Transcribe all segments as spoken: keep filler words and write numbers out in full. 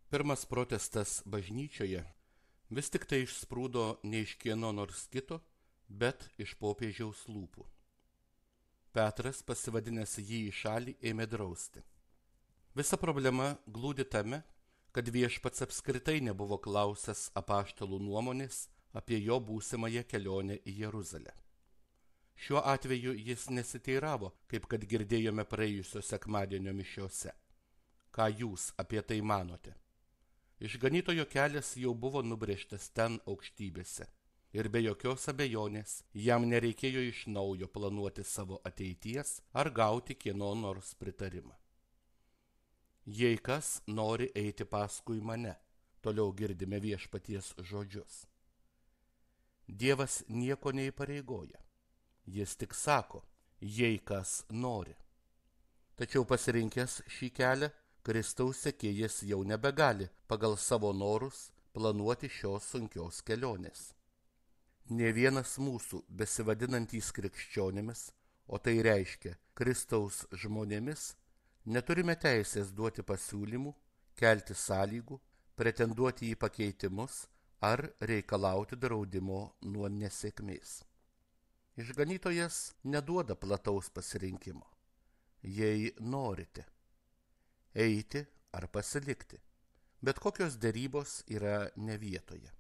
Pirmas protestas bažnyčioje vis tik tai išsprūdo ne iš kieno nors kito, bet iš popiežiaus lūpų. Petras, pasivadinęs jį į šalį, ėmė drausti. Visa problema glūdi tame, kad viešpats apskritai nebuvo klausęs apaštalų nuomonės apie jo būsimąją kelionę į Jeruzalę. Šiuo atveju jis nesiteiravo, kaip kad girdėjome praėjusio sekmadienio mišiose. Ką jūs apie tai manote? Išganytojo kelias jau buvo nubrėžtas ten aukštybėse, ir be jokios abejonės jam nereikėjo iš naujo planuoti savo ateities ar gauti kieno nors pritarimą. Jei kas nori eiti paskui mane, toliau girdime viešpaties žodžius. Dievas nieko neįpareigoja, jis tik sako, jei kas nori. Tačiau pasirinkęs šį kelią, Kristaus sekėjas jau nebegali pagal savo norus planuoti šios sunkios kelionės. Nė vienas mūsų besivadinantys krikščionimis, o tai reiškia Kristaus žmonėmis, neturime teisės duoti pasiūlymų, kelti sąlygų, pretenduoti į pakeitimus ar reikalauti draudimo nuo nesėkmės. Išganytojas neduoda plataus pasirinkimo. Jei norite eiti ar pasilikti, bet kokios derybos yra ne vietoje.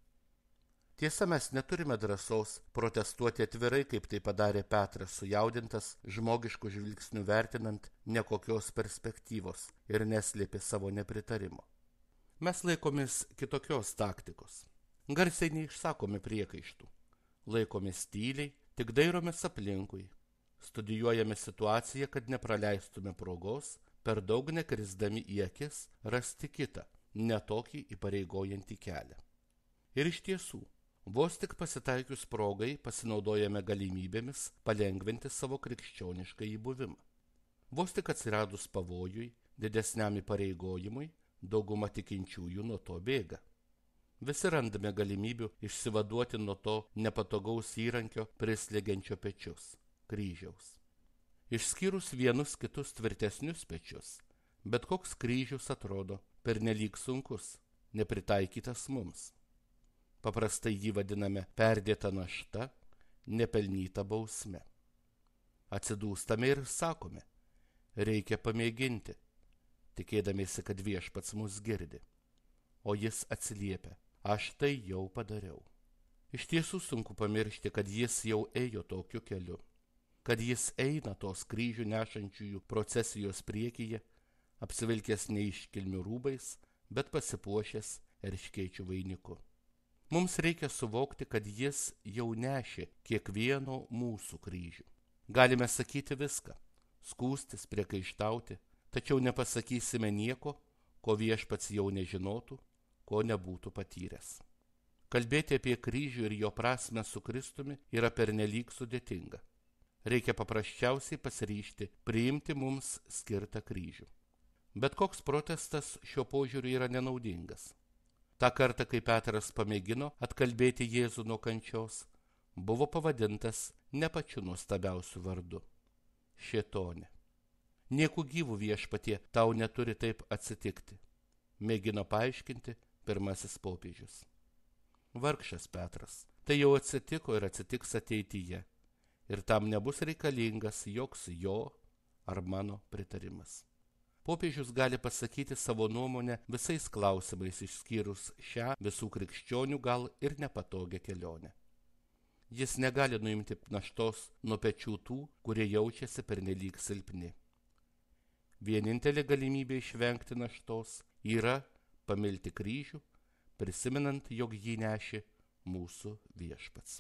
Tiesa, mes neturime drąsos protestuoti atvirai, kaip tai padarė Petras, sujaudintas žmogiškų žvilgsnių vertinant nekokios perspektyvos ir neslėpė savo nepritarimo. Mes laikomės kitokios taktikos. Garsiai neišsakome priekaištų. Laikomės tyliai, tik dairomės aplinkui. Studijuojame situaciją, kad nepraleistume progos, per daug nekrisdami į akis rasti kitą, netokį įpareigojantį kelią. Ir iš tiesų, vos tik pasitaikius progai pasinaudojame galimybėmis palengventi savo krikščionišką įbuvimą. Vos tik atsiradus pavojui, didesniam įpareigojimui, dauguma tikinčiųjų nuo to bėga. Visi randame galimybių išsivaduoti nuo to nepatogaus įrankio prislėgiančio pečius – kryžiaus. Išskyrus vienus kitus tvirtesnius pečius, bet koks kryžius atrodo pernelyg sunkus, nepritaikytas mums. Paprastai jį vadiname perdėta našta, nepelnyta bausme. Atsidūstame ir sakome, reikia pamėginti, tikėdamiesi, kad viešpats mus girdi. O jis atsiliepia, aš tai jau padariau. Iš tiesų sunku pamiršti, kad jis jau ėjo tokiu keliu, kad jis eina tos kryžių nešančiųjų procesijos priekyje, apsivilkęs neiškilmių rūbais, bet pasipuošęs erškėčių vainiku. Mums reikia suvokti, kad jis jau nešė kiekvieno mūsų kryžių. Galime sakyti viską, skųstis, priekaištauti, tačiau nepasakysime nieko, ko viešpats jau nežinotų, ko nebūtų patyręs. Kalbėti apie kryžių ir jo prasmę su Kristumi yra pernelyg sudėtinga. Reikia paprasčiausiai pasiryžti priimti mums skirtą kryžių. Bet koks protestas šiuo požiūriu yra nenaudingas. Ta kartą, kai Petras pamėgino atkalbėti Jėzų nuo kančios, buvo pavadintas ne pačiu nuostabiausiu vardu – šėtonė. Nieku gyvų viešpatie tau neturi taip atsitikti, mėgino paaiškinti pirmasis popiežius. Vargšas Petras, tai jau atsitiko ir atsitiks ateityje. Ir tam nebus reikalingas joks jo ar mano pritarimas. Popiežius gali pasakyti savo nuomonę visais klausimais išskyrus šią visų krikščionių gal ir nepatogią kelionę. Jis negali nuimti naštos nuo pečių tų, kurie jaučiasi pernelyg silpni. Vienintelė galimybė išvengti naštos yra pamilti kryžių, prisimenant, jog jį nešė mūsų viešpats.